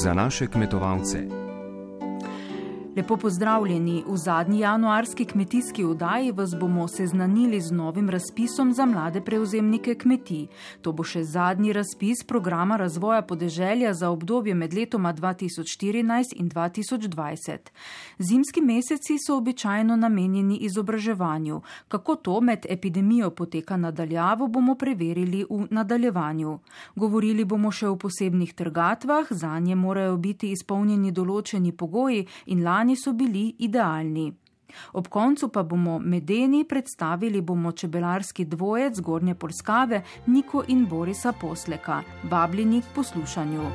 za naše kmetovalce. Lepo pozdravljeni. V zadnji januarski kmetijski oddaji vas bomo seznanili z novim razpisom za mlade prevzemnike kmetij. To bo še zadnji razpis programa razvoja podeželja za obdobje med letoma 2014 in 2020. Zimski meseci so običajno namenjeni izobraževanju. Kako to med epidemijo poteka nadaljavo, bomo preverili v nadaljevanju. Govorili bomo še o posebnih trgatvah, zanje morajo biti izpolnjeni določeni pogoji in lani so bili idealni. Ob koncu pa bomo medeni, predstavili bomo čebelarski dvojec Zgornje Polskave, Niko in Borisa Posleka. Vabljeni k poslušanju.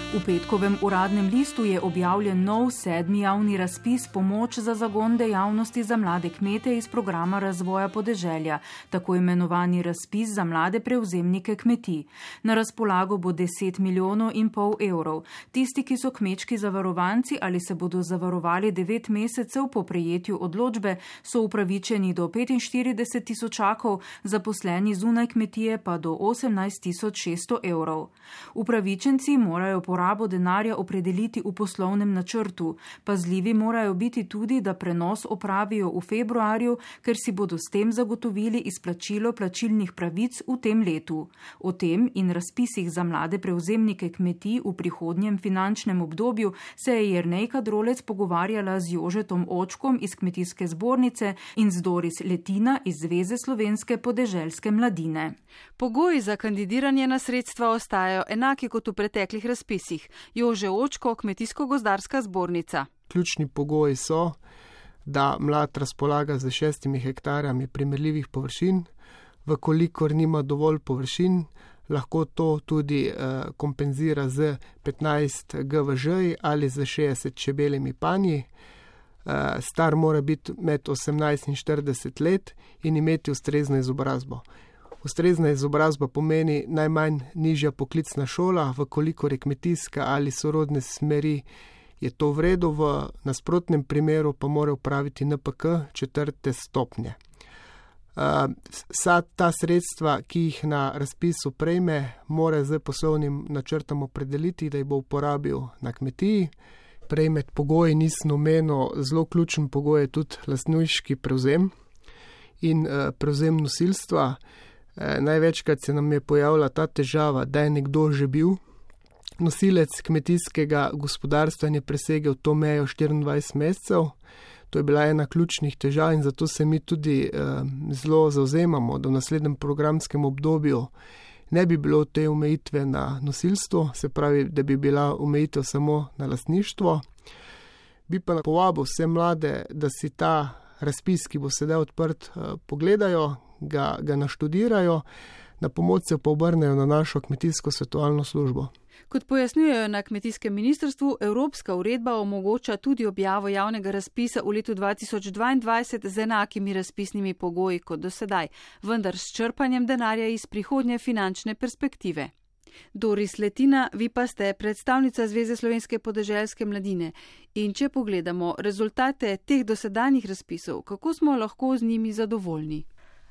V petkovem uradnem listu je objavljen nov 7. javni razpis Pomoč za zagon dejavnosti za mlade kmete iz programa razvoja podeželja, tako imenovani razpis za mlade prevzemnike kmetij. Na razpolago bo 10,5 milijonov evrov. Tisti, ki so kmečki zavarovanci ali se bodo zavarovali 9 mesecev po prejetju odločbe, so upravičeni do 45 tisočakov, zaposleni zunaj kmetije pa do 18.600 evrov. Upravičenci morajo porabo denarja opredeliti v poslovnem načrtu. Pazljivi morajo biti tudi, da prenos opravijo v februarju, ker si bodo s tem zagotovili izplačilo plačilnih pravic v tem letu. O tem in razpisih za mlade prevzemnike kmetij v prihodnjem finančnem obdobju se je Jernejka Drolec pogovarjala z Jožetom Očkom iz Kmetijske zbornice in z Doris Letina iz Zveze slovenske podeželske mladine. Pogoji za kandidiranje na sredstva ostajajo enaki kot v preteklih razpisih. Jože Očko, Kmetijsko-gozdarska zbornica. Ključni pogoji so, da mlad razpolaga z 6 hektarjami primerljivih površin, vkolikor nima dovolj površin, lahko to tudi kompenzira z 15 GVŽ ali z 60 čebeljimi panji. Star mora biti med 18 in 40 let in imeti ustrezno izobrazbo. Ustrezna izobrazba pomeni najmanj nižja poklicna šola, vkolikor je kmetijska ali sorodne smeri, je to v redu, v nasprotnem primeru pa mora upraviti NPK 4. stopnje. Vsa ta sredstva, ki jih na razpisu prejme, mora z poslovnim načrtom opredeliti, da jih bo uporabil na kmetiji. Prej med pogoji nisem omenil, zelo ključen pogoj je tudi lastniški prevzem in prevzem nosilstva. Največkrat se nam je pojavila ta težava, da je nekdo že bil nosilec kmetijskega gospodarstva in je presegel to mejo 24 mesecev. To je bila ena ključnih težav in zato se mi tudi zelo zavzemamo, da v naslednjem programskem obdobju ne bi bilo te omejitve na nosilstvo, se pravi, da bi bila omejitev samo na lastništvo. Bi pa povabil vse mlade, da si ta razpis, ki bo sedaj odprt, pogledajo, ga naštudirajo, na pomoč se pa obrnejo na našo kmetijsko svetovalno službo. Kot pojasnjujejo na kmetijskem ministrstvu, evropska uredba omogoča tudi objavo javnega razpisa v letu 2022 z enakimi razpisnimi pogoji kot do sedaj, vendar s črpanjem denarja iz prihodnje finančne perspektive. Doris Letina, vi pa ste predstavnica Zveze slovenske podeželske mladine. In če pogledamo rezultate teh dosedanjih razpisov, kako smo lahko z njimi zadovoljni?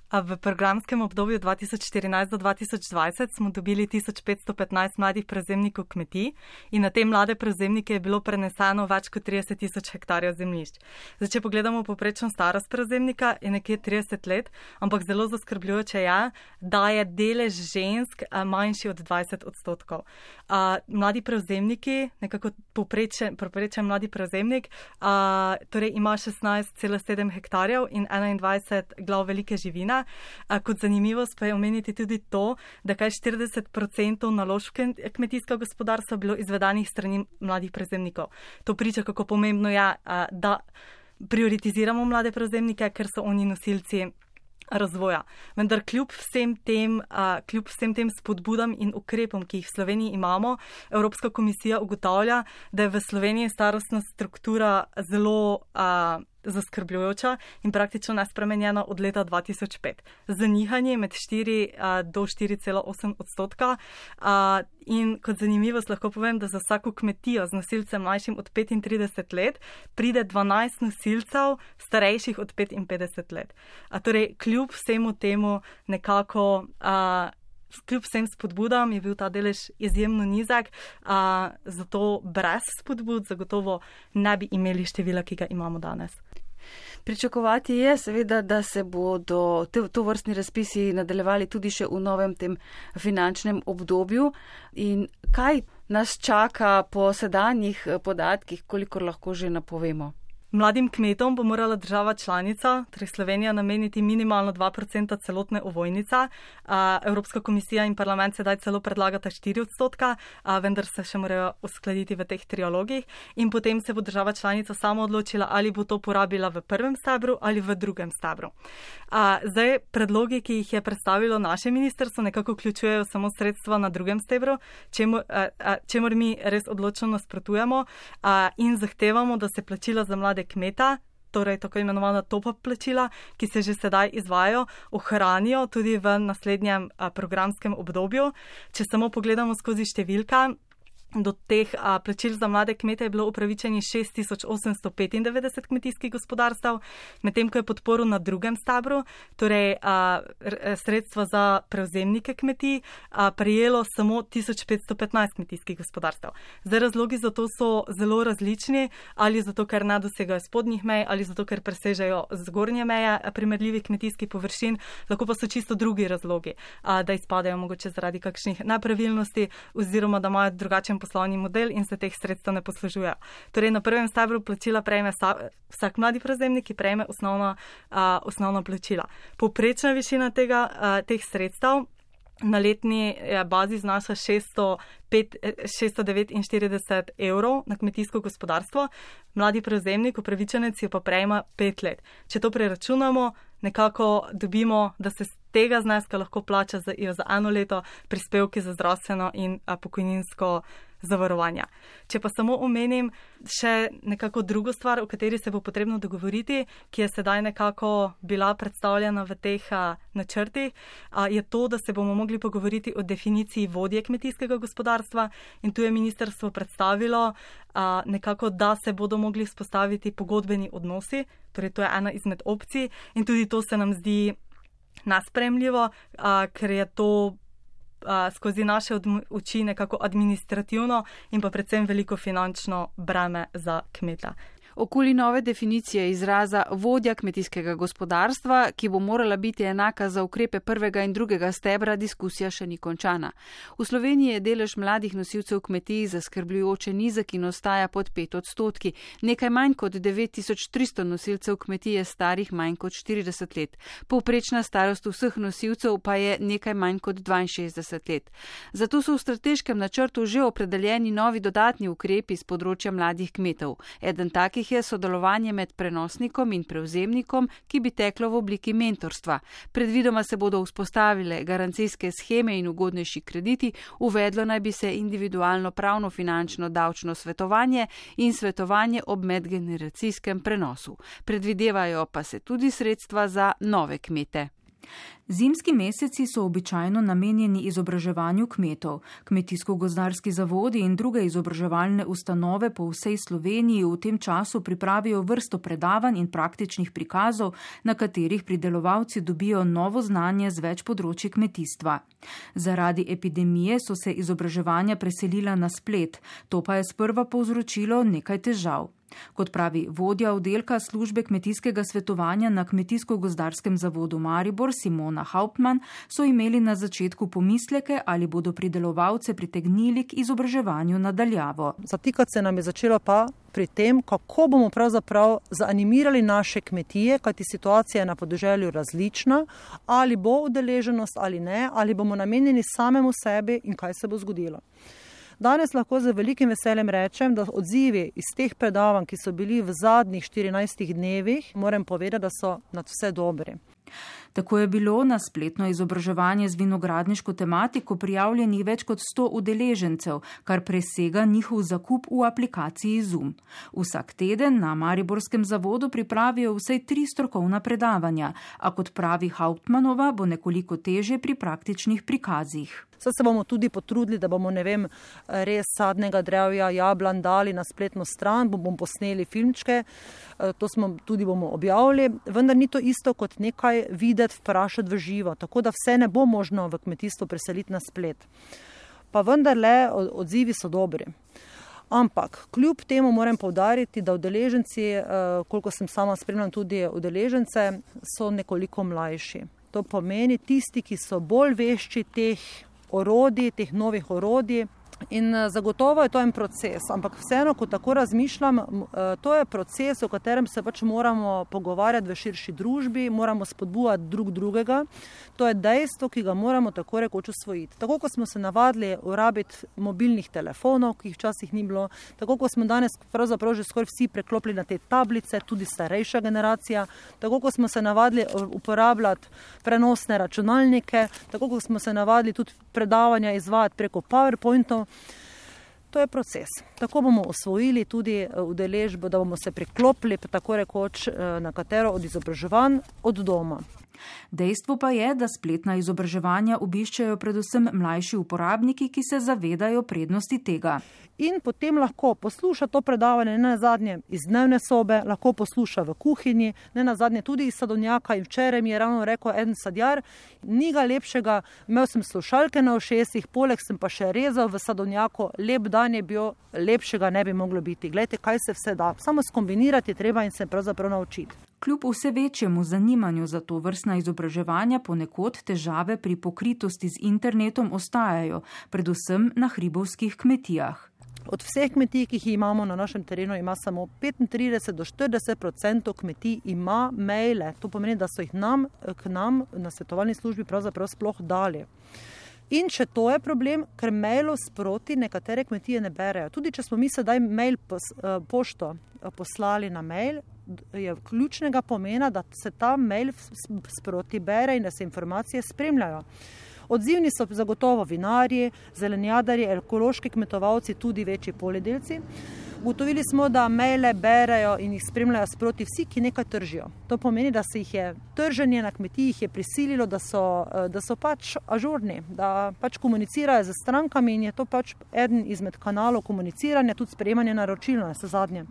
V programskem obdobju 2014 do 2020 smo dobili 1515 mladih prevzemnikov kmetij in na te mlade prevzemnike je bilo preneseno več kot 30.000 hektarjev zemljišč. Zdaj, če pogledamo povprečno starost prevzemnika, je nekje 30 let, ampak zelo zaskrbljujoče je, da je delež žensk manjši od 20%. Mladi prevzemniki, nekako povprečen mladi prevzemnik, torej ima 16,7 hektarjev in 21 glav velike živine. Kot zanimivost pa je omeniti tudi to, da kaj 40% naložb kmetijskega gospodarstva bilo izvedanih strani mladih prevzemnikov. To priča, kako pomembno je, da prioritiziramo mlade prevzemnike, ker so oni nosilci razvoja. Vendar kljub vsem tem spodbudam in ukrepom, ki jih v Sloveniji imamo, Evropska komisija ugotavlja, da je v Sloveniji starostna struktura zelo zaskrbljujoča in praktično nespremenjena od leta 2005. Zanihanje med 4 do 4,8%. In kot zanimivost lahko povem, da za vsako kmetijo z nosilcem mlajšim od 35 let pride 12 nosilcev starejših od 55 let. Torej, kljub vsemu temu nekako, kljub vsem spodbudam je bil ta delež izjemno nizek, zato brez spodbud zagotovo ne bi imeli števila, ki ga imamo danes. Pričakovati je seveda, da se bodo tovrstni razpisi nadaljevali tudi še v novem tem finančnem obdobju. In kaj nas čaka po sedanjih podatkih, kolikor lahko že napovemo? Mladim kmetom bo morala država članica, torej Slovenija, nameniti minimalno 2% celotne ovojnice. Evropska komisija in parlament sedaj celo predlagata 4%, vendar se še morajo uskladiti v teh trialogih. In potem se bo država članica sama odločila, ali bo to porabila v prvem stebru ali v drugem stebru. Zdaj, predlogi, ki jih je predstavilo naše ministrstvo, nekako vključujejo samo sredstva na drugem stebru, čemur mi res odločno nasprotujemo in zahtevamo, da se plačila za mlade kmeta, torej tako imenovana top-up plačila, ki se že sedaj izvajajo, ohranijo tudi v naslednjem programskem obdobju. Če samo pogledamo skozi številke, do teh plačil za mlade kmete je bilo upravičeni 6895 kmetijskih gospodarstv, medtem ko je podporo na drugem stebru, torej sredstva za prevzemnike kmetij, prejelo samo 1515 kmetijskih gospodarstv. Zdaj, razlogi za to so zelo različni, ali zato, ker ne dosegajo spodnjih mej, ali zato, ker presežejo zgornje meje primerljivih kmetijskih površin, lahko pa so čisto drugi razlogi, da izpadajo mogoče zaradi kakšnih nepravilnosti oziroma da imajo drugačen poslovni model in se teh sredstev ne poslužujejo. Torej, na prvem stebru plačila prejme vsak mladi prevzemnik, ki prejme osnovna plačila. Povprečna višina teh sredstev na letni bazi znaša 649 evrov na kmetijsko gospodarstvo, mladi prevzemnik, upravičenec jo pa prejma 5 let. Če to preračunamo, nekako dobimo, da se z tega zneska lahko plača za 1 leto prispevki za zdravstveno in pokojninsko zavarovanja. Če pa samo omenim še nekako drugo stvar, o kateri se bo potrebno dogovoriti, ki je sedaj nekako bila predstavljena v teh načrtih, je to, da se bomo mogli pogovoriti o definiciji vodje kmetijskega gospodarstva in tu je ministrstvo predstavilo nekako, da se bodo mogli vzpostaviti pogodbeni odnosi, torej to je ena izmed opcij in tudi to se nam zdi nesprejemljivo, ker je to skozi naše oči nekako administrativno in pa predvsem veliko finančno breme za kmeta. Okoli nove definicije izraza vodja kmetijskega gospodarstva, ki bo morala biti enaka za ukrepe prvega in drugega stebra, diskusija še ni končana. V Sloveniji je delež mladih nosilcev kmetij zaskrbljujoče nizek in ostaja pod 5%. Nekaj manj kot 9300 nosilcev kmetij je starih manj kot 40 let. Povprečna starost vseh nosilcev pa je nekaj manj kot 62 let. Zato so v strateškem načrtu že opredeljeni novi dodatni ukrepi z področja mladih kmetov. Eden takih je sodelovanje med prenosnikom in prevzemnikom, ki bi teklo v obliki mentorstva. Predvidoma se bodo vzpostavile garancijske sheme in ugodnejši krediti, uvedlo naj bi se individualno pravno finančno davčno svetovanje in svetovanje ob medgeneracijskem prenosu. Predvidevajo pa se tudi sredstva za nove kmete. Zimski meseci so običajno namenjeni izobraževanju kmetov. Kmetijsko-gozdarski zavodi in druge izobraževalne ustanove po vsej Sloveniji v tem času pripravijo vrsto predavanj in praktičnih prikazov, na katerih pridelovalci dobijo novo znanje z več področji kmetijstva. Zaradi epidemije so se izobraževanja preselila na splet, to pa je sprva povzročilo nekaj težav. Kot pravi vodja oddelka službe kmetijskega svetovanja na Kmetijsko-gozdarskem zavodu Maribor Simona Hauptmann, so imeli na začetku pomisleke, ali bodo pridelovalce pritegnili k izobraževanju nadaljavo. Zatikati se nam je začelo pa pri tem, kako bomo pravzaprav zaanimirali naše kmetije, kajti situacija je na podeželju različna, ali bo udeleženost ali ne, ali bomo namenjeni samemu sebi in kaj se bo zgodilo. Danes lahko z velikim veseljem rečem, da odzivi iz teh predavanj, ki so bili v zadnjih 14 dnevih, moram povedati, da so nad vse dobri. Tako je bilo na spletno izobraževanje z vinogradniško tematiko prijavljenih več kot 100 udeležencev, kar presega njihov zakup v aplikaciji Zoom. Vsak teden na Mariborskem zavodu pripravijo vsaj 3 strokovna predavanja, a kot pravi Hauptmannova, bo nekoliko težje pri praktičnih prikazih. Saj se bomo tudi potrudili, da bomo, res sadnega drevja, jablan dali na spletno stran, bomo posneli filmčke, to bomo objavili, vendar ni to isto kot nekaj videti, vprašati v živo, tako da vse ne bo možno v kmetijstvo preseliti na splet. Pa vendarle odzivi so dobri. Ampak kljub temu moram poudariti, da udeleženci, koliko sem sama spremljam tudi udeležence, so nekoliko mlajši. To pomeni tisti, ki so bolj vešči teh novih orodij. In zagotovo je to en proces, ampak vseeno, ko tako razmišljam, to je proces, o katerem se moramo pogovarjati v širši družbi, moramo spodbujati drug drugega. To je dejstvo, ki ga moramo tako rekoč usvojiti. Tako, ko smo se navadili uporabiti mobilnih telefonov, ki jih včasih ni bilo, tako, ko smo danes pravzaprav že skoraj vsi preklopili na te tablice, tudi starejša generacija, tako, ko smo se navadili uporabljati prenosne računalnike, tako, ko smo se navadili tudi predavanja izvajati preko PowerPointov. To je proces. Tako bomo osvojili tudi udeležbo, da bomo se priklopili tako rekoč na katero od izobraževanj od doma. Dejstvo pa je, da spletna izobraževanja obiščajo predvsem mlajši uporabniki, ki se zavedajo prednosti tega. In potem lahko posluša to predavanje ne nazadnje iz dnevne sobe, lahko posluša v kuhinji, ne nazadnje tudi iz sadovnjaka. In včeraj mi je ravno rekel en sadjar, ni ga lepšega, imel sem slušalke na ušesih, poleg sem pa še rezal v sadovnjaku, lep dan je bil, lepšega ne bi moglo biti. Glejte, kaj se vse da, samo skombinirati treba in se pravzaprav naučiti. Kljub vse večjemu zanimanju za to vrstna izobraževanja ponekod težave pri pokritosti z internetom ostajajo, predvsem na hribovskih kmetijah. Od vseh kmetij, ki jih imamo na našem terenu, ima samo 35 do 40% kmetij ima maile. To pomeni, da so jih k nam na svetovalni službi pravzaprav sploh dali. In če to je problem, ker mailov sproti nekatere kmetije ne berejo. Tudi če smo mi sedaj pošto poslali na mail, je ključnega pomena, da se ta mail sproti bere in da se informacije spremljajo. Odzivni so zagotovo vinarji, zelenjadarji, ekološki kmetovalci, tudi večji poljedelci. Ugotovili smo, da maile berejo in jih spremljajo sproti vsi, ki nekaj tržijo. To pomeni, da se jih je trženje na kmetijih je prisililo, da so pač ažurni, da pač komunicirajo z strankami in je to pač eden izmed kanalov komuniciranja, tudi sprejemanje naročil na zadnje.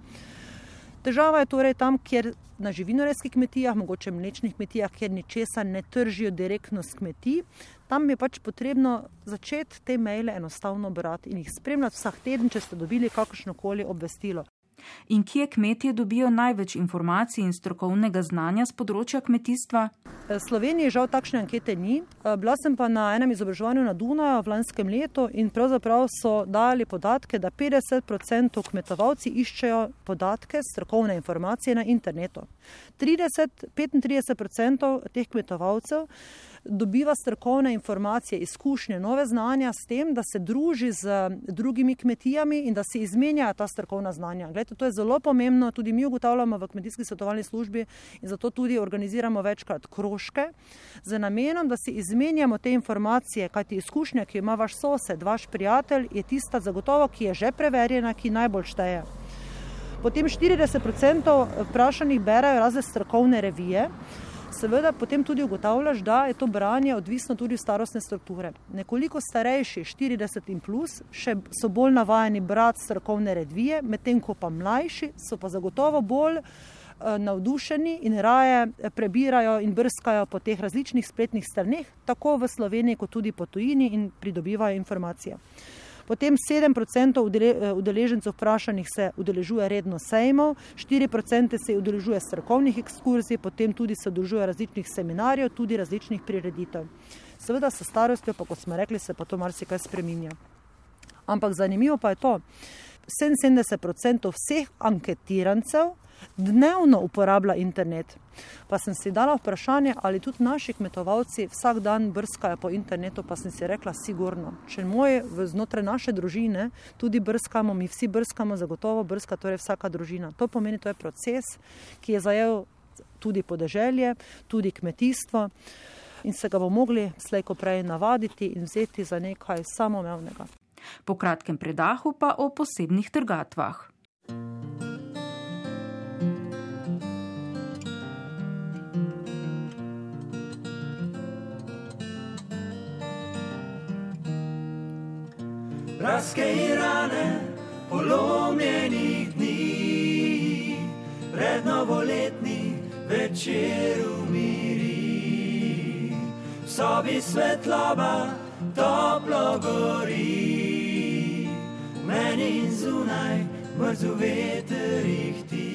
Težava je torej tam, kjer na živinorejskih kmetijah, mogoče mlečnih kmetijah, kjer ničesar ne tržijo direktno s kmetij, tam je pač potrebno začeti te maile enostavno brati in jih spremljati vsak teden, če ste dobili kakršnokoli obvestilo. In kje kmetje dobijo največ informacij in strokovnega znanja z področja kmetijstva? V Sloveniji žal takšne ankete ni. Bila sem pa na enem izobraževanju na Dunaju v lanskem letu in pravzaprav so dali podatke, da 50% kmetovalci iščejo podatke, strokovne informacije na internetu. 35% teh kmetovalcev dobiva strokovne informacije, izkušnje, nove znanja s tem, da se druži z drugimi kmetijami in da se izmenjajo ta strokovna znanja. Glejte, to je zelo pomembno, tudi mi ugotavljamo v kmetijski svetovalni službi in zato tudi organiziramo večkrat krožke z namenom, da si izmenjamo te informacije, kajti izkušnja, ki ima vaš sosed, vaš prijatelj, je tista zagotovo, ki je že preverjena, ki najbolj šteje. Potem 40% vprašanih berajo razne strokovne revije. Seveda potem tudi ugotavljaš, da je to branje odvisno tudi od starostne strukture. Nekoliko starejši, 40 in plus, še so bolj navajeni brati strokovne revije, medtem ko pa mlajši so pa zagotovo bolj navdušeni in raje prebirajo in brskajo po teh različnih spletnih straneh, tako v Sloveniji kot tudi po tujini in pridobivajo informacije. Potem 7% udeležencev vprašanih se udeležuje redno sejmov, 4% se udeležuje strokovnih ekskurzij, potem tudi se udeležuje različnih seminarjev, tudi različnih prireditev. Seveda s starostjo, pa kot smo rekli, se pa to marsikaj spreminja. Ampak zanimivo pa je to, 77% vseh anketirancev dnevno uporablja internet. Pa sem si dala vprašanje, ali tudi naši kmetovalci vsak dan brskajo po internetu, pa sem si rekla sigurno. Če znotraj naše družine tudi brskamo, mi vsi brskamo, zagotovo brska torej vsaka družina. To pomeni, to je proces, ki je zajel tudi podeželje, tudi kmetijstvo in se ga bo mogli slej ko prej navaditi in vzeti za nekaj samoumevnega. Po kratkem predahu pa o posebnih trgatvah. Praske in rane polomljenih dni, pred novoletni večer umiri. V sobi svetloba toplo gori, meni in zunaj mrzu veter ihti.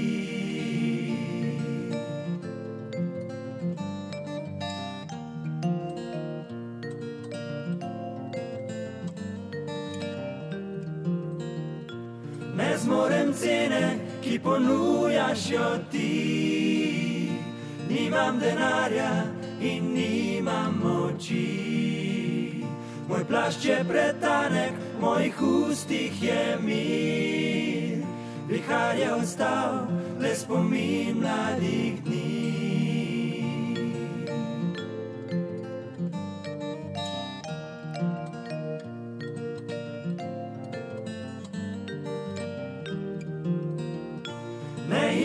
Ne zmorem cene, ki ponujaš jo ti, nimam denarja in nimam moči. Moj plašč je pretanek, mojih ustih je mir, vihar je ostal le spomin mladih dni.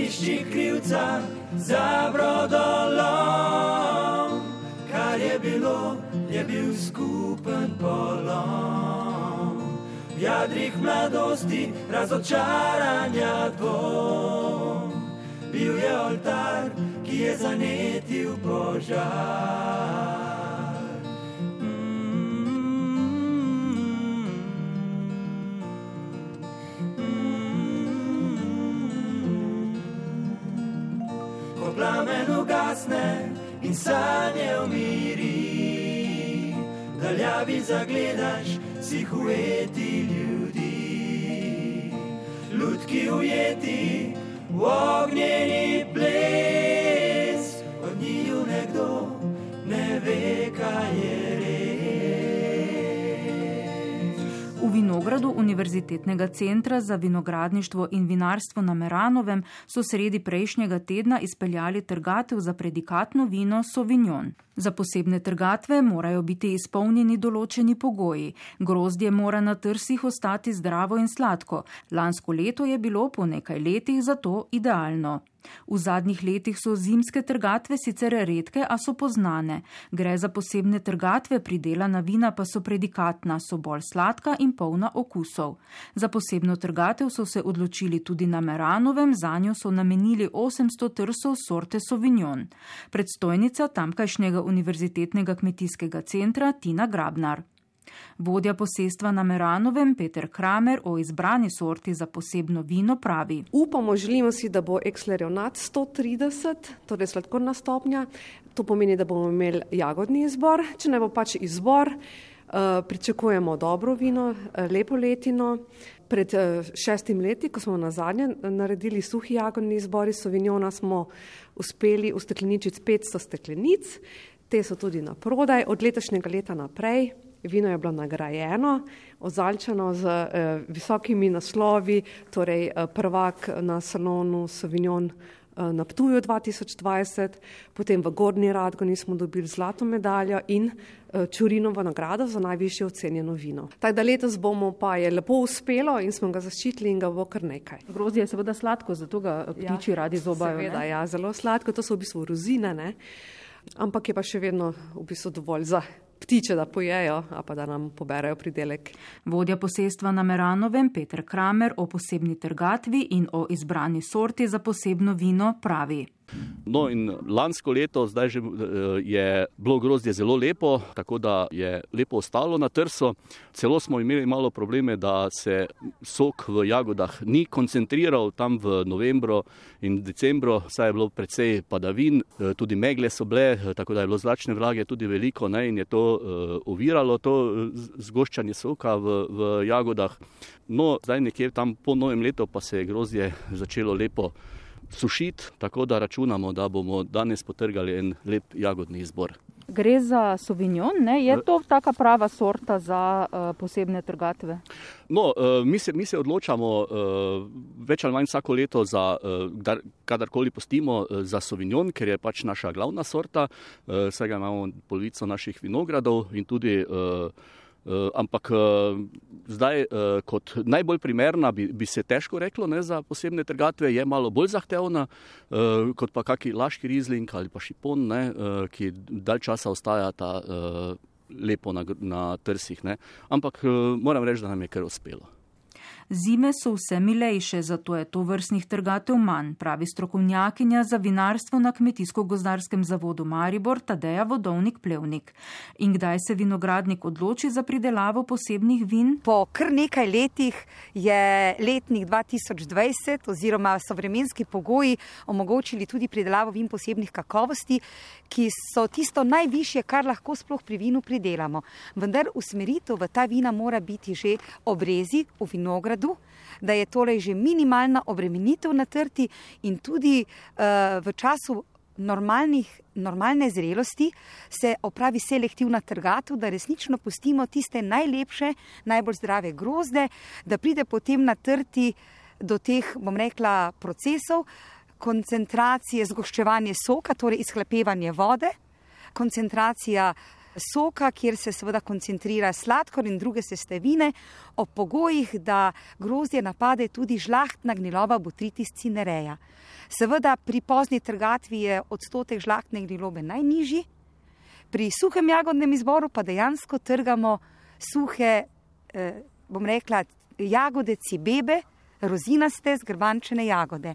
Išči krivca za brodolom, kar je bil skupen polom. V jadrih mladosti razočaranja dvom, bil je oltar, ki je zanetil požar. Plamen ugasne in sanje umiri, daljavi zagledaš sih ujeti ljudi. Lutki ujeti v ognjeni ples, od njiju nekdo ne ve, kaj je res. V vinogradu Univerzitetnega centra za vinogradništvo in vinarstvo na Meranovem so sredi prejšnjega tedna izpeljali trgatev za predikatno vino Sauvignon. Za posebne trgatve morajo biti izpolnjeni določeni pogoji. Grozdje mora na trsih ostati zdravo in sladko. Lansko leto je bilo po nekaj letih zato idealno. V zadnjih letih so zimske trgatve sicer redke, a so poznane. Gre za posebne trgatve, pridelana vina pa so predikatna, so bolj sladka in polna okusov. Za posebno trgatev so se odločili tudi na Meranovem, zanjo so namenili 800 trsov sorte Sauvignon. Predstojnica tamkajšnjega Univerzitetnega kmetijskega centra Tina Grabnar. Vodja posestva na Meranovem Peter Kramer o izbrani sorti za posebno vino pravi. Upamo, želimo si, da bo Exlerionat 130, torej sladkorna stopnja. To pomeni, da bomo imeli jagodni izbor. Če ne bo pač izbor, pričakujemo dobro vino, lepo letino. Pred 6 leti, ko smo nazadnje naredili suhi jagodni izbor iz Sauvignona, smo uspeli ustekleničiti 500 steklenic. Te so tudi na prodaj. Od letošnjega leta naprej vino je bilo nagrajeno, ozaljčano z visokimi naslovi, torej prvak na salonu Sauvignon na Ptuju 2020, potem v Gornji Radgoni smo dobili zlato medaljo in Čurinovo nagrado za najvišje ocenjeno vino. Tako da letos bomo pa je lepo uspelo in smo ga zaščitili in ga bo kar nekaj. Grozdje je seveda sladko, zato ga ptiči radi zobajo. Seveda, ja, zelo sladko, to so v bistvu rozine, ne? Ampak je pa še vedno v bistvu dovolj za ptiče, da pojejo, a pa da nam poberajo pridelek. Vodja posestva na Meranovem Peter Kramer o posebni trgatvi in o izbrani sorti za posebno vino pravi. No in lansko leto zdaj že je bilo grozdje zelo lepo, tako da je lepo ostalo na trsu. Celo smo imeli malo probleme, da se sok v jagodah ni koncentriral tam v novembru in decembru, saj je bilo precej padavin, tudi megle so bile, tako da je bilo zračne vlage tudi veliko, ne, in je to oviralo to zgoščanje soka v jagodah. No, zdaj nekje tam po novem letu pa se je grozdje začelo lepo sušiti, tako da računamo, da bomo danes potrgali en lep jagodni izbor. Gre za Sauvignon, ne? Je to taka prava sorta za posebne trgatve? No, mi se odločamo več ali manj vsako leto, kadarkoli postimo, za Sauvignon, ker je pač naša glavna sorta, saj ga imamo polovico naših vinogradov in tudi ampak zdaj kot najbolj primerna bi se težko reklo, ne, za posebne trgatve, je malo bolj zahtevna kot pa kaki laški rizling ali pa šipon, ne, ki dalj časa ostajata lepo na trsih. Ne. Ampak moram reči, da nam je kar uspelo. Zime so vse milejše, zato je to vrstnih trgatev manj, pravi strokovnjakinja za vinarstvo na Kmetijsko-gozdarskem zavodu Maribor Tadeja Vodovnik-Plevnik. In kdaj se vinogradnik odloči za pridelavo posebnih vin? Po kar nekaj letih je letnik 2020 oziroma so vremenski pogoji omogočili tudi pridelavo vin posebnih kakovosti, ki so tisto najvišje, kar lahko sploh pri vinu pridelamo. Vendar usmeritev v ta vina mora biti že obrezi v vinogradu, da je torej že minimalna obremenitev na trti in tudi v času normalne zrelosti se opravi selektivna trgatev, da resnično pustimo tiste najlepše, najbolj zdrave grozde, da pride potem na trti do teh, bom rekla, procesov, koncentracije, zgoščevanje soka, torej izhlapevanje vode, koncentracija soka, kjer se seveda koncentrira sladkor in druge sestavine, ob pogojih, da grozdje napade tudi žlahtna gniloba Botrytis cinerea. Seveda pri pozni trgatvi je odstotek žlahtne gnilobe najnižji, pri suhem jagodnem izboru pa dejansko trgamo suhe, bom rekla, jagode cibebe, rozinaste, zgrbančene jagode.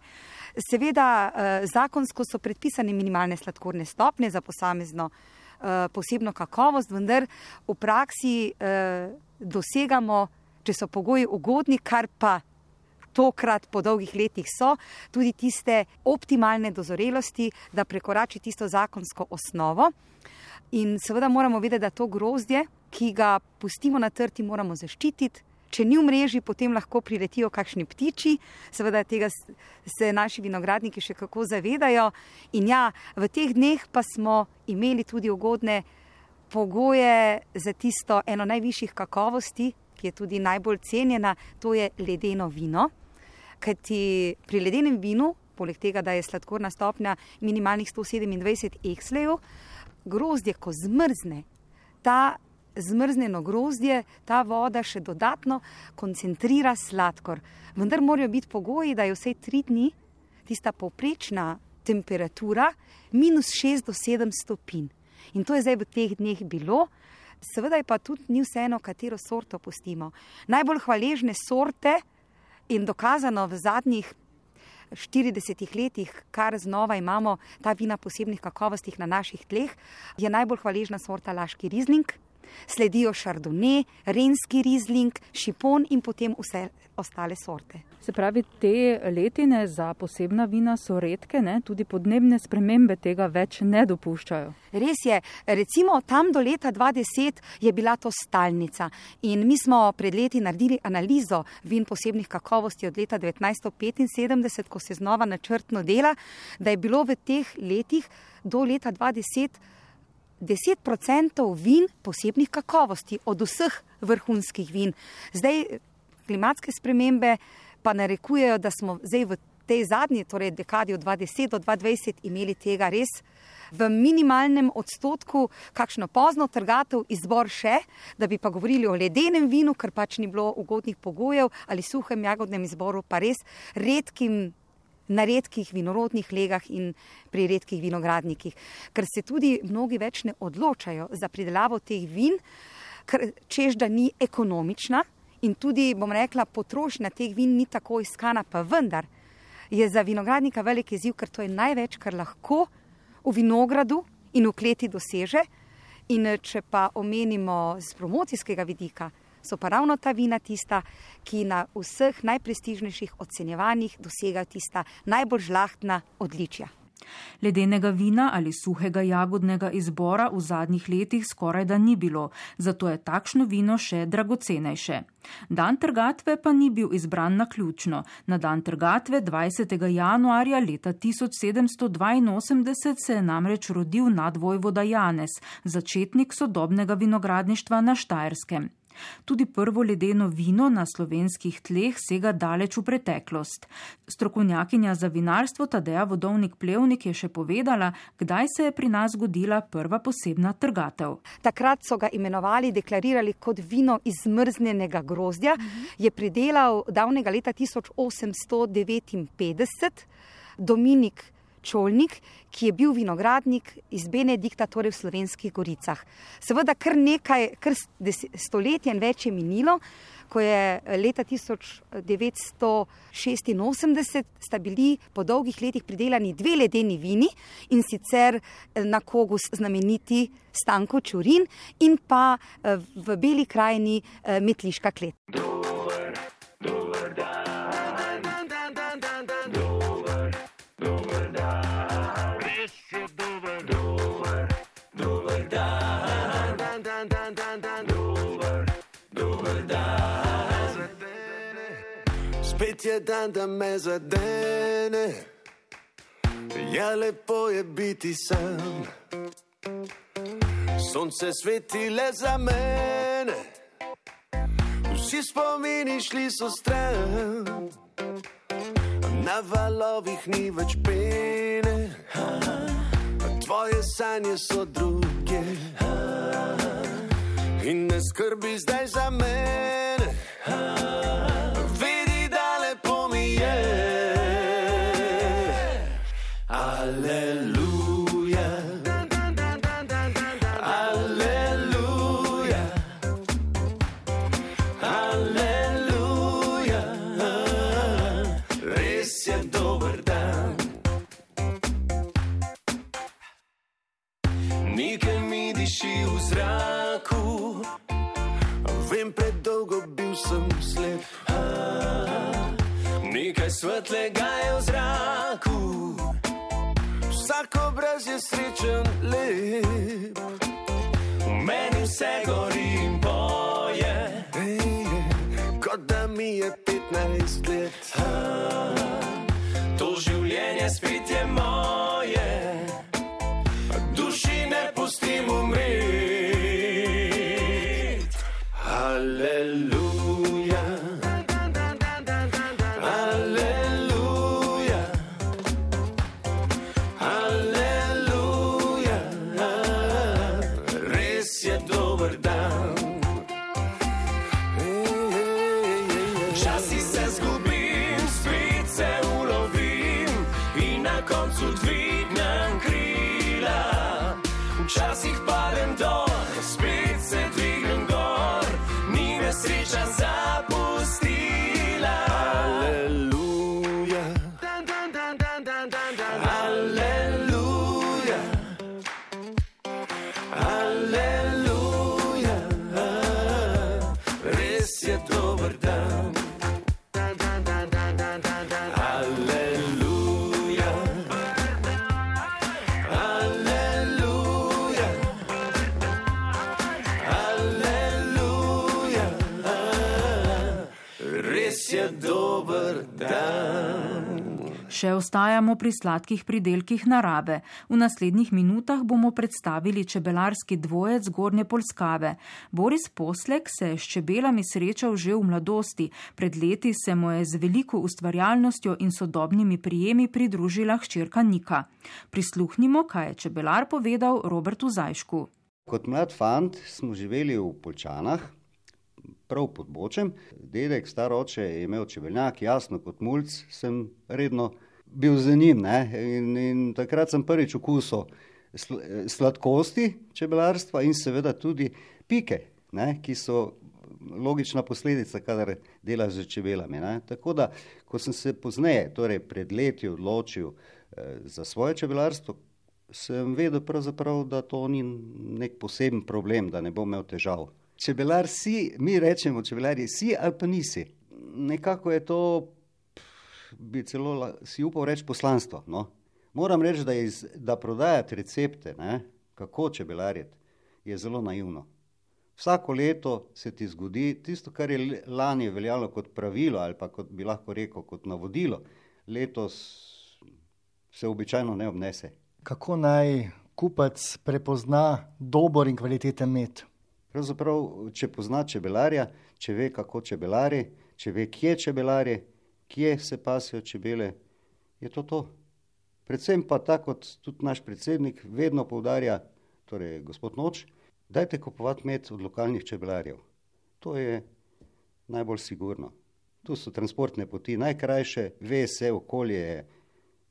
Seveda zakonsko so predpisane minimalne sladkorne stopnje za posamezno posebno kakovost, vendar v praksi dosegamo, če so pogoji ugodni, kar pa tokrat po dolgih letih so, tudi tiste optimalne dozorelosti, da prekorači tisto zakonsko osnovo. In seveda moramo vedeti, da to grozdje, ki ga pustimo na trti, moramo zaščititi. Če ni v mreži, potem lahko priletijo kakšni ptiči, seveda tega se naši vinogradniki še kako zavedajo. In ja, v teh dneh pa smo imeli tudi ugodne pogoje za tisto eno najvišjih kakovosti, ki je tudi najbolj cenjena, to je ledeno vino. Kajti pri ledenem vinu, poleg tega, da je sladkorna stopnja minimalnih 127 ekslejev, grozdje, ko zmrzne, ta zmrznjeno grozdje, ta voda še dodatno koncentrira sladkor. Vendar morajo biti pogoji, da je vsej 3 dni tista povprečna temperatura -6 do 7 stopinj. In to je zdaj v teh dneh bilo. Seveda je pa tudi ni vseeno, katero sorto pustimo. Najbolj hvaležne sorte in dokazano v zadnjih 40 letih, kar znova imamo ta vina posebnih kakovostih na naših tleh, je najbolj hvaležna sorta laški rizling. Sledijo šardone, renski rizling, šipon in potem vse ostale sorte. Se pravi, te letine za posebna vina so redke, ne? Tudi podnebne spremembe tega več ne dopuščajo. Res je, recimo tam do leta 2010 je bila to stalnica in mi smo pred leti naredili analizo vin posebnih kakovosti od leta 1975, ko se znova načrtno dela, da je bilo v teh letih do leta 2010 10% vin posebnih kakovosti od vseh vrhunskih vin. Zdaj klimatske spremembe pa narekujejo, da smo zdaj v tej zadnji, torej dekadi od 2010 do 2020 imeli tega res v minimalnem odstotku, kakšno pozno trgatev, izbor še, da bi pa govorili o ledenem vinu, ker pač ni bilo ugodnih pogojev, ali suhem jagodnem izboru, pa res na redkih vinorodnih legah in pri redkih vinogradnikih. Ker se tudi mnogi več ne odločajo za pridelavo teh vin, ker češ, da ni ekonomična in tudi, bom rekla, potrošnja teh vin ni tako iskana, pa vendar je za vinogradnika velik izziv, ker to je največ, kar lahko v vinogradu in v kleti doseže. In če pa omenimo z promocijskega vidika, so pa ravno ta vina tista, ki na vseh najprestižnejših ocenjevanjih dosegajo tista najbolj žlahtna odličja. Ledenega vina ali suhega jagodnega izbora v zadnjih letih skoraj da ni bilo, zato je takšno vino še dragocenejše. Dan trgatve pa ni bil izbran naključno. Na dan trgatve 20. januarja leta 1782 se je namreč rodil nadvojvoda Janez, začetnik sodobnega vinogradništva na Štajerskem. Tudi prvo ledeno vino na slovenskih tleh sega daleč v preteklost. Strokovnjakinja za vinarstvo Tadeja Vodovnik-Plevnik je še povedala, kdaj se je pri nas zgodila prva posebna trgatev. Takrat so ga imenovali, deklarirali kot vino iz zmrznjenega grozdja. Je pridelal davnega leta 1859 Dominik Čolnik, ki je bil vinogradnik iz Benedikta, torej v Slovenskih goricah. Seveda kar stoletja in več je minilo, ko je leta 1986 sta bili po dolgih letih pridelani 2 ledeni vini, in sicer na Kogu znameniti Stanko Čurin in pa v Beli krajini Metliška klet. Spet je dan, da me zadene, ja, lepo je biti sam. Sonce sveti le za mene, vsi spomini šli so stran. Na valovih ni več pene, tvoje sanje so druge, in ne skrbi zdaj za mene. Vedi, da lepo mi je. Aleluja, aleluja, aleluja, res je dober dan. Nekaj mi diši v zraku, vem, predolgo bil sem slep. Nekaj svetlega je v zraku, vsak obraz je srečen, lep. V meni vse gori in boje, kot da mi je 15 let. To življenje spet je moje, duši ne pustim umret. Aleluja, aleluja, aleluja, res je dober dan. Včasih se zgubim, spet se ulovim in na koncu dvignem krila. Včasih padem dol, spet se dvignem gor, ni me sreča zapustila. Aleluja, aleluja, aleluja, res je dober dan. Aleluja, aleluja, aleluja, res je dober dan. Še ostajamo pri sladkih pridelkih narave. V naslednjih minutah bomo predstavili čebelarski dvojec Gornje Polskave. Boris Poslek se je s čebelami srečal že v mladosti. Pred leti se mu je z veliko ustvarjalnostjo in sodobnimi prijemi pridružila hčerka Nika. Prisluhnimo, kaj je čebelar povedal Robertu Zajšku. Kot mlad fant smo živeli v Poljčanah, prav pod Bočem. Dedek, star oče, je imel čebeljak, jasno, kot mulc sem redno bil za njim, ne? In takrat sem prvič okusil sladkosti čebelarstva in seveda tudi pike, ne? Ki so logična posledica, kadar delaš z čebelami, ne? Tako da, ko sem se pozneje, torej pred leti odločil za svoje čebelarstvo, sem vedel pravzaprav, da to ni nek poseben problem, da ne bom imel težav. Čebelar si, mi rečemo čebelarji, si ali pa nisi. Nekako je to, bi celo si upal reči poslanstvo, no. Moram reči, da prodajati recepte, kako čebelariti, je zelo naivno. Vsako leto se ti zgodi tisto, kar je lani veljalo kot pravilo ali pa kot bi lahko rekel kot navodilo, letos se običajno ne obnese. Kako naj kupec prepozna dober in kvaliteten med? Pravzaprav, če pozna čebelarja, če ve, kako čebelari, če ve, kje čebelari, kje se pasijo čebele, je to. Predvsem pa tako, kot tudi naš predsednik vedno poudarja, torej gospod Noč, dajte kupovati med od lokalnih čebelarjev. To je najbolj sigurno. Tu so transportne poti najkrajše, ve se, okolje je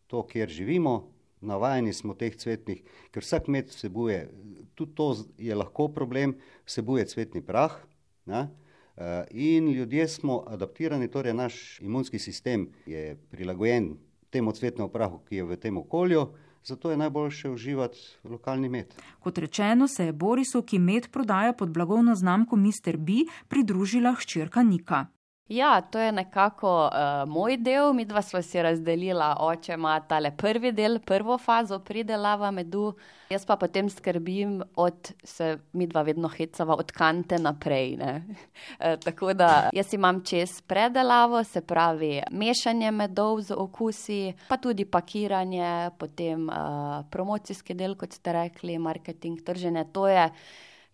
to, kjer živimo, navajeni smo teh cvetnih, ker vsak med vsebuje, tudi to je lahko problem, vsebuje cvetni prah, in ljudje smo adaptirani, torej naš imunski sistem je prilagojen temu cvetnemu prahu, ki je v tem okolju, zato je najboljše uživati lokalni med. Kot rečeno, se je Borisu, ki med prodaja pod blagovno znamko Mr. B, pridružila hčerka Nika. Ja, to je nekako moj del, midva sva si razdelila, oče ima tale prvi del, prvo fazo pridelava medu, jaz pa potem skrbim se midva vedno hecava od kante naprej, tako da jaz imam čez predelavo, se pravi mešanje medov z okusi, pa tudi pakiranje, potem promocijski del, kot ste rekli, marketing, trženje, to je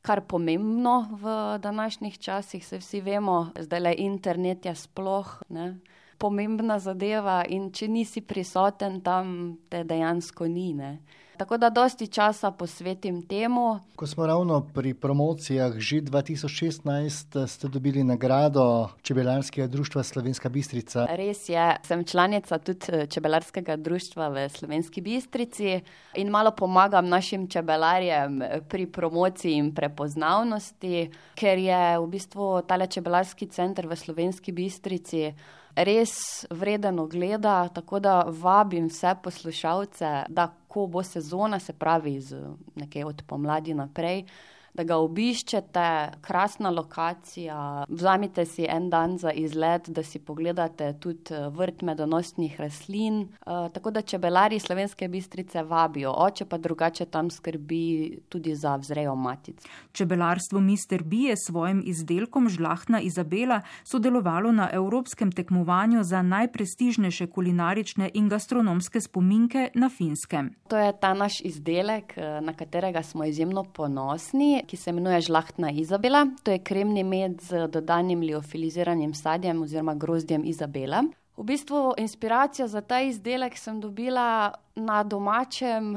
kar pomembno v današnjih časih, se vsi vemo, zdajle internet je sploh pomembna zadeva in če nisi prisoten tam, te dejansko ni. Tako da dosti časa posvetim temu. Ko smo ravno pri promocijah, že 2016 ste dobili nagrado Čebelarskega društva Slovenska Bistrica. Res je, sem članica tudi Čebelarskega društva v Slovenski Bistrici in malo pomagam našim čebelarjem pri promociji in prepoznavnosti, ker je v bistvu tale čebelarski center v Slovenski Bistrici res vreden ogleda, tako da vabim vse poslušalce, da ko bo sezona, se pravi nekaj od pomladi naprej, da ga obiščete, krasna lokacija, vzamite si en dan za izlet, da si pogledate tudi vrt medonosnih rastlin, tako da čebelari Slovenske Bistrice vabijo, oče pa drugače tam skrbi tudi za vzrejo matic. Čebelarstvo Mr. B je s svojim izdelkom Žlahtna Izabela sodelovalo na evropskem tekmovanju za najprestižnejše kulinarične in gastronomske spominke na Finskem. To je ta naš izdelek, na katerega smo izjemno ponosni, ki se imenuje Žlahtna Izabela. To je kremni med z dodanim liofiliziranim sadjem oziroma grozdjem Izabela. V bistvu inspiracijo za ta izdelek sem dobila na domačem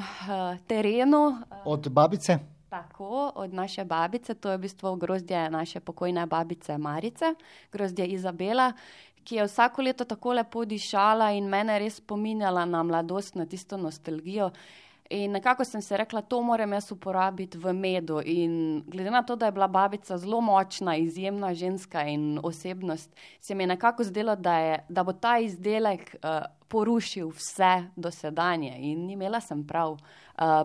terenu. Od babice? Tako, od naše babice. To je v bistvu grozdje naše pokojne babice Marice, grozdje Izabela, ki je vsako leto tako lepo dišala in mene res spominjala na mladost, na tisto nostalgijo. In nekako sem se rekla, to moram jaz uporabiti v medu in glede na to, da je bila babica zelo močna, izjemna ženska in osebnost, se mi je nekako zdelo, da bo ta izdelek porušil vse dosedanje in imela sem prav.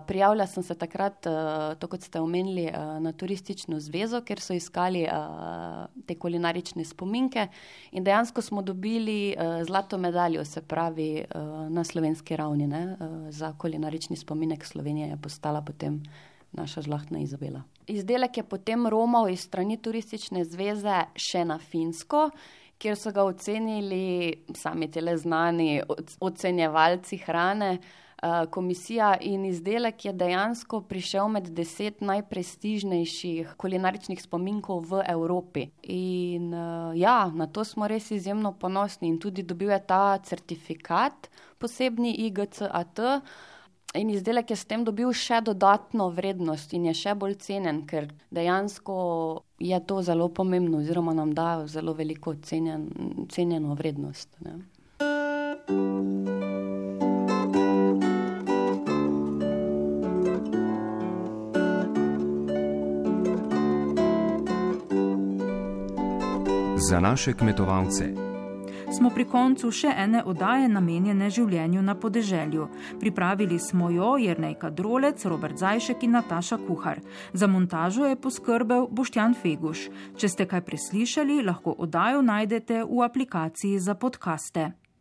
Prijavila sem se takrat, to kot ste omenili, na turistično zvezo, ker so iskali te kulinarične spominke in dejansko smo dobili zlato medaljo, se pravi na slovenski ravni, za kulinarični spominek Slovenije je postala potem naša Žlahtna Izabela. Izdelek je potem romal iz strani turistične zveze še na Finsko, kjer so ga ocenili sami tele znani ocenjevalci hrane, komisija, in izdelek je dejansko prišel med 10 najprestižnejših kulinaričnih spominkov v Evropi. In na to smo res izjemno ponosni in tudi dobil je ta certifikat, posebni IGCAT, in izdelek je s tem dobil še dodatno vrednost in je še bolj cenen, ker dejansko je to zelo pomembno oziroma nam da zelo veliko cenjeno vrednost. Za naše kmetovalce. Smo pri koncu še ene oddaje namenjene življenju na podeželju. Pripravili smo jo Jernejka Drolec, Robert Zajšek in Nataša Kuhar. Za montažo je poskrbel Boštjan Feguš. Če ste kaj preslišali, lahko oddajo najdete v aplikaciji za podcaste.